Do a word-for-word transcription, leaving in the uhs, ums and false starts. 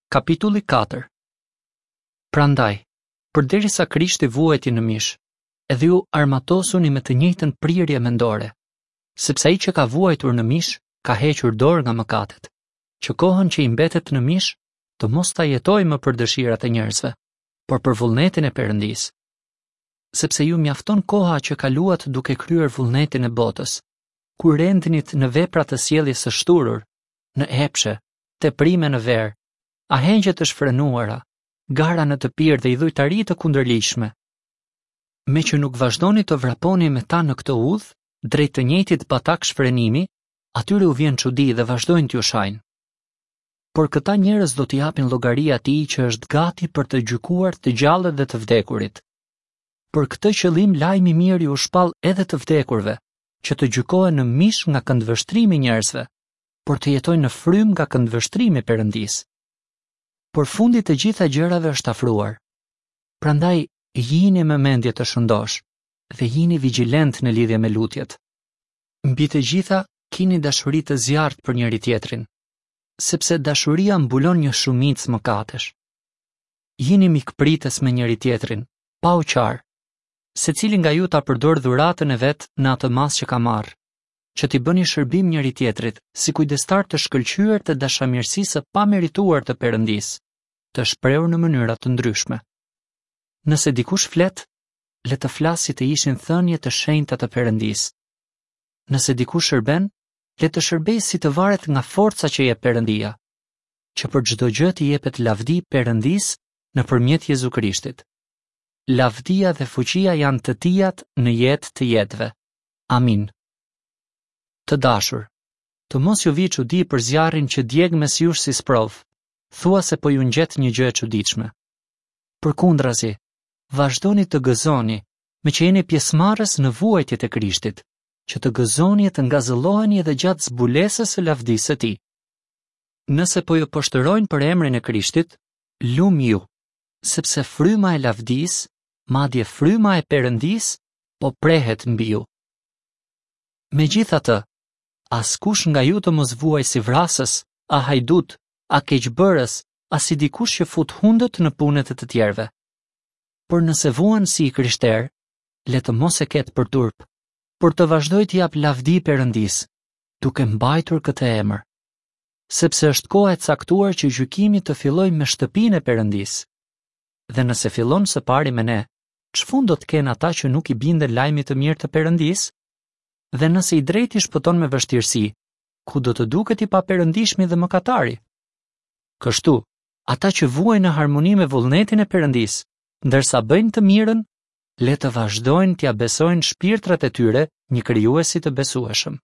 Kapitulli katër. Prandaj, përderisa Krishti vuajti në mish, edhe ju armatosuni me të njëjtën prirje mendore, sepse ai që ka vuajtur në mish ka hequr dorë nga mëkatet, që kohën që i mbetet në mish të mos ta jetojë më për dëshirat e njerëzve, por për vullnetin e Perëndisë. Sepse ju mjafton koha që kaluat duke kryer vullnetin e botës, kur rendnit në vepra të sjelljes së shthurur, në epshe, teprime në verë, ahengje të shfrenuara, gara në të pirë dhe idhujtari të kundërligjshme. Me që nuk vazhdoni të vraponi me ta në këtë udhë, drejt të njëjtit batak shfrenimi, atyre u vjen çudi dhe vazhdojnë t'ju shajnë. Por këta njerëz do t'i japin llogari atij që është gati për të gjykuar të gjallët dhe të vdekurit. Për këtë qëllim lajmi i mirë u shpall edhe të vdekurve, që të gjykohen në mish nga këndvështrimi i njerëzve, por të jetojnë në frymë nga këndvështrimi i Perëndisë. Por fundi të gjitha gjërave është afruar. Prandaj jini me mendje të shëndosh dhe jini vigjilent në lidhje me lutjet. Mbi të gjitha kini dashuri të zjarrt për njëri tjetrin, sepse dashuria mbulon një shumicë mëkatesh. Jini mikpritës me njëri tjetrin, pa u qarë. Secili nga ju ta përdor dhuratën e vet në atë masë që ka marrë, që t'i bëni shërbim njëri tjetrit si kujdestar të shkëlqyer të dashamirësisë së pamerituar të Perëndisë, të shprehur në mënyra të ndryshme. Nëse dikush flet, le të flasë si të ishin thënie të shenjta të Perëndisë. Nëse dikush shërben, le të shërbejë si të varet nga forca që jep Perëndia, që për çdo gjë t'i jepet lavdi Perëndisë nëpërmjet Jezu Krishtit. Lavdia dhe fuqia janë të tijat në jetë të jetëve. Amin. Të dashur, të mos ju vi çudi për zjarrin që djeg mes jush si sprovë, thua se po ju ngjet një gjë e çuditshme. Përkundrazi, vazhdoni të gëzoni, me që jeni pjesëmarrës në vuajtjet e Krishtit, që të gëzoni e të ngazëlloheni edhe gjatë zbulesës së lavdisë së tij. Nëse po ju poshtërojnë për emrin e Krishtit, lum ju, sepse fryma e lavdisë, madje fryma e Perëndisë, po prehet mbi ju. Megjithatë, askush nga ju të mos vuaj si vrasës, a hajdut, a keqbërës, a si dikush që fut hundët në punët e të tjerëve. Por nëse vuan si i krishter, le të mos e ketë për turp, por të vazhdojë t'i jap lavdi Perëndisë, duke mbajtur këtë emër. Sepse është koha e caktuar që gjykimi të fillojë me shtëpinë e Perëndisë. Dhe nëse fillon së pari me ne, ç'fund do të kenë ata që nuk i binden lajmit të mirë të Perëndisë? Dhe nëse i drejti shpëton me vështirësi, ku do të duket i paperëndishmi dhe mëkatari? Kështu, ata që vuajnë në harmoni me vullnetin e Perëndisë, ndërsa bëjnë të mirën, le të vazhdojnë t'ia besojnë shpirtrat e tyre një krijuesi të besueshëm.